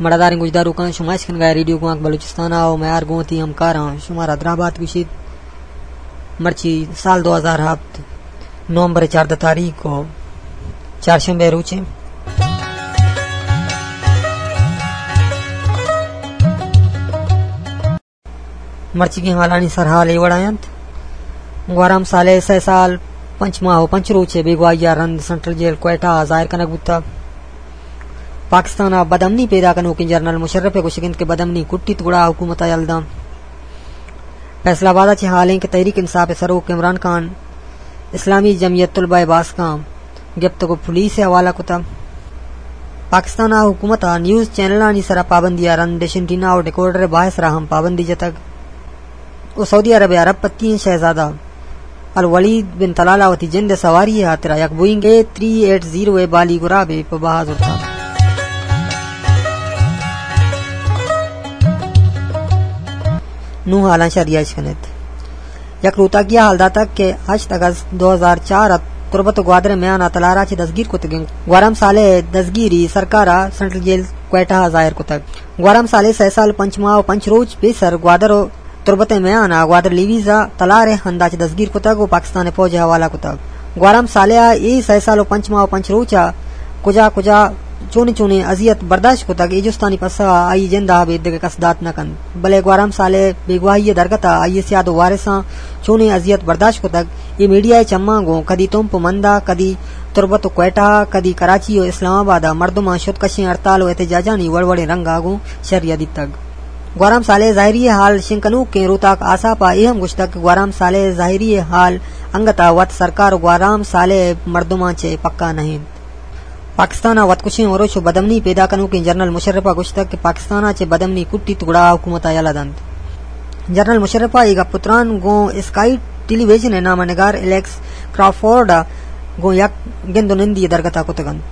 مڑاداریں گوشداروکاں، شما اشکنگا ریڈیو گوانک بلوچستان ءَ ءُ میار گوں وتی ہمکاراں شمارا دراہ بات گوشیت۔ مرچی سال دو ہزار ہپت، نومبر چاردہ تاریخ ءُ چارشنبے روچیں۔ مرچیگیں حالانی سرحال اے وڑا انت۔ گوھرام صالح سئے سال پنچ ماہ ءُ پنچ روچ ءِ بیگواہی ءَ رند سنٹرل جیل کوئٹہ ءَ ظاہر کنگ بوتگ۔ پاکستان ءَ بدامنی پیدا کنوکیں جنرل مشرف ءِ گوشگ انت کہ بدامنی کٹیت گڑا حکومت ءَ یل داں۔ فیصل آباد ءَ چہ حال ایں کہ تحریک انصاف ءِ سروک عمران خان اسلامی جمعیت طلبہ ءِ باسکاں گپتگ ءُ پولیس ءِ حوالہ کتگ۔ پاکستان ءِ حکومت ءَ نیوز چینلانی سرا پابندی ءَ رند ڈش اینٹینا ءُ ڈیکوڈر ءِ باہ ءِ سرا ہم پابندی جتگ ءُ سعودی عرب ءِ ارب پتی ئیں شہزادہ الولید بن طلال ءَ وتی جند ءِ سواری ءِ ہاترا یک بوئنگ اے تھری ایٹ زیرو ءِ بالی گرابے پہ بہا زرتگ۔ نوں حالاں شریعہ اش کنیت۔ یک روتاکی ءَ حال داتگ کہ ہشت اگست دو ہزار چار ءَ تربت ءُ گوادر ءِ میان ءَ تلار ءَ چہ دزگیر کتگیں گوھرام صالح ءِ دزگیری سرکار ءَ سنٹرل جیل کوئٹہ ءَ ظاہر کتگ۔ گوھرام صالح سئے سال پنچ ماہ ءُ پنچ روچ پیسر گوادر ءُ تربت ءِ میان ءَ گوادر لیویز ءَ تلار ءِ ہند ءَ چہ دزگیر کتگ ءُ پاکستان ءِ پوج ءِ حوالہ کتگ۔ گوھرام صالح ءَ اے سئے سال ءُ پنچ ماہ ءُ پنچ روچ ءَ کجا کجا چونیں چونیں اذیت برداشت کتگ، اے جستانی پسہ ءَ آئی ءِ جند ءَ ابید دگہ کس دات نہ کنت، بلے گوھرام صالح ءِ بیگواہی ءِ درگت ءَ آئی ءِ سیاد ءُ وارثاں چونیں اذیت برداشت کتگ، اے میڈیا ءِ چماں گوں کدی تمپ ءُ مند ءَ، کدی تربت ءُ کوئٹہ ءَ، کدی کراچی ءُ اسلام آباد ءَ مردماں شت کشیں ہڑتال ءُ احتجاجانی وڑ وڑیں رنگ ءَ گوں شریعہ دیتگ۔ گوھرام صالح ءِ ظاہری ءِ حال شنگ کنوکیں روتاک آساپ ءَ اے ہم گوشتگ کہ گوھرام صالح ءِ ظاہری ءِ حال انگت ءَ وت سرکار ءُ گوھرام صالح ءِ مردماں چہ پکا نہ انت۔ پاکستان ءَ وتکشیں ارش ءُ بدامنی پیدا کنوکیں جنرل مشرف ءَ گوشتگ کہ پاکستان ءَ چہ بدامنی کٹیت گڑا حکومت ءَ یلہ دنت۔ جنرل مشرف ءَ اے گپ ءُ تران گوں اسکائی ٹیلی ویژن ءِ نامہ نگار الیکس کرافورڈ ءَ گوں یک گند ءُ نندی ءِ درگت ءَ کتگ انت۔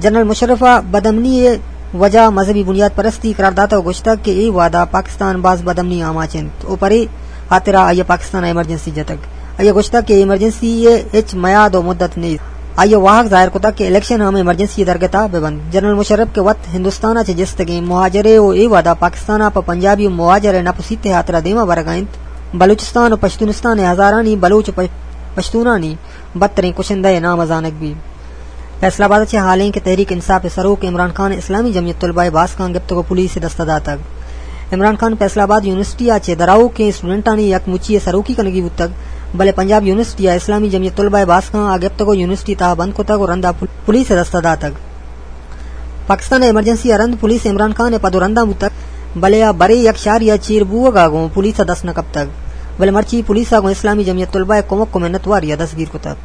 جنرل مشرف ءَ بدامنی ءِ وجہ مذہبی بنیاد پرستی قرار داتگ ءُ گوشتگ کہ اے وھد ءَ پاکستان باز بدامنی ءِ آماچ انت ءُ پرے ہاترا آئی ءَ پاکستان ءَ ایمرجنسی جتگ۔ آئی ءَ گوشتگ کہ ایمرجنسی ءِ ہچ میاد ءُ مدت نیست۔ آئی ءَ واہگ ظاہر کتگ کہ الیکشن ہم ایمرجنسی ءِ درگت ءَ بہ بنت۔ جنرل مشرف کہ وت ہندوستان ءَ چہ جستگیں مہاجرے ءُ اے وھد ءَ پاکستان ءَ پہ پنجابی ءُ مہاجر ءِ نپ ءُ سیت ءِ ہاترا دیما برگ ءَ انت، بلوچستان ءُ پشتونستان ءِ ہزارانی بلوچ ءُ پش-، پشتونانی بدتریں کشندہ ءِ نام ءَ زانگ بیت۔ فیصل آباد ءَ چہ ہال ایں کہ تحریک انصاف ءِ سروک عمران خان اسلامی جمعیت طلبہ ءِ باسکاں گپتگ ءُ پولیس ءِ دست ءَ داتگ۔ عمران خان فیصل آباد یونیورسٹی ءَ چہ درآؤکیں اسٹوڈنٹانی یک مچی ءِ سروکی کنگی بوتگ، بلے پنجاب یونیورسٹی ءَ اسلامی جمعیت طلبہ ءِ باسکاں آ گپتگ ءُ یونیورسٹی ءِ تہا بند کتگ ءُ رندا پول-، پولیس ءِ دست ءَ داتگ۔ پاکستان ءِ ایمرجنسی ءَ رند پولیس عمران خان ءِ پد ءُ رنداں بوتگ، بلے آ برے یک شاری ءَ چیر بوگ ءَ گوں پولیس ءَ دست نہ کپتگ، بلے مرچی پولیس ءَ گوں اسلامی جمعیت طلبہ ءِ کمک ءُ منتواری ءَ دستگیر کتگ۔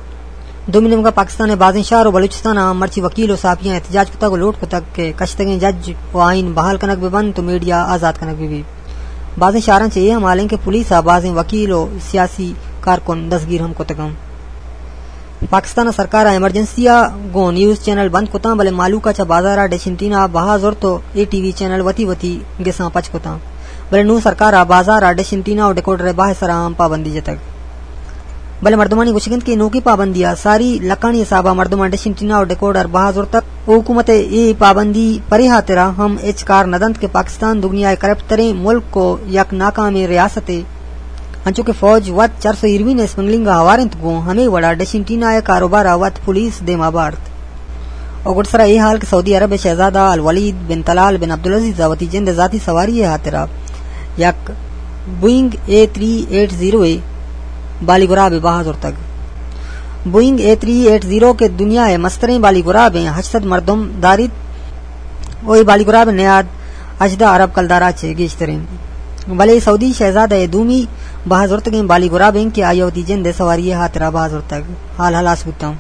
دومی نیمگ ءَ پاکستان ءِ بازیں شہر ءُ بلوچستان ءَ مرچی وکیل ءُ صحافیاں احتجاج کتگ ءُ لوٹ کتگ کہ کشتگیں جج ءُ آئین بحال کنگ بہ بنت ءُ میڈیا آزاد کنگ بہ بیت۔ بازیں شہراں چہ اے ہم ہال ایں کہ پولیس ءَ بازیں وکیل ءُ سیاسی کارکن دستگیر ہم کتگ انت۔ پاکستان ءِ سرکار ءَ ایمرجنسی ءَ گوں نیوز چینل بند کتاں، بلے مہلوک ءَ چہ بازار ءَ ڈش اینٹینا بہا زرت ءُ اے ٹی وی چینل وتی وتی گساں پچ کتاں۔ بلے نوں سرکار ءَ بازار ءَ ڈش اینٹینا ءُ ڈیکوڈر ءِ بہا ءِ سرا ہم پابندی جتگ۔ بلے مردمانی گوشگ انت کہ نوکیں پابندی ءَ ساری لکھانی حساب ءَ مردماں ڈش اینٹینا ءُ ڈیکوڈر بہا زرتگ ءُ حکومت ءِ اے پابندی پرے ہاترا ہم ہچ کار نہ دنت کہ پاکستان دگنیا ءِ کرپٹ تریں ملک ءُ یک ناکامیں ریاستے، انچو کہ فوج وت چرس ءُ ہیروئن ءِ اسمگلنگ ءَ ہوار انت، گوں ہمے وڑا ڈش اینٹینا ءِ کاروبار ءَ وت پولیس دیما بارت۔ ءُ گڈسرا اے حال کہ سعودی عرب ءِ شہزادہ الولید بن طلال بن عبدالعزیز ءَ وتی جند ءِ ذاتی سواری ءِ ہاترا یک بوئنگ اے تھری ایٹ زیرو ءِ بالی گرابے بہا زرتگ۔ بوئنگ اے تھری ایٹ زیرو کہ دنیا ءِ مستریں بالی گرابیں، ہشت سد مردم داریت ءُ اے بالی گراب ءِ نیاد ہژدہ ارب کلدار ءَ چہ گیشتر انت۔ بلے سعودی شہزادہ ءِ دومی بہا زرتگیں بالی گراب انت کہ آئی ءَ وتی جند ءِ سواری ءِ ہاترا بہا زرتگ۔ حال ہلاس بوتاں۔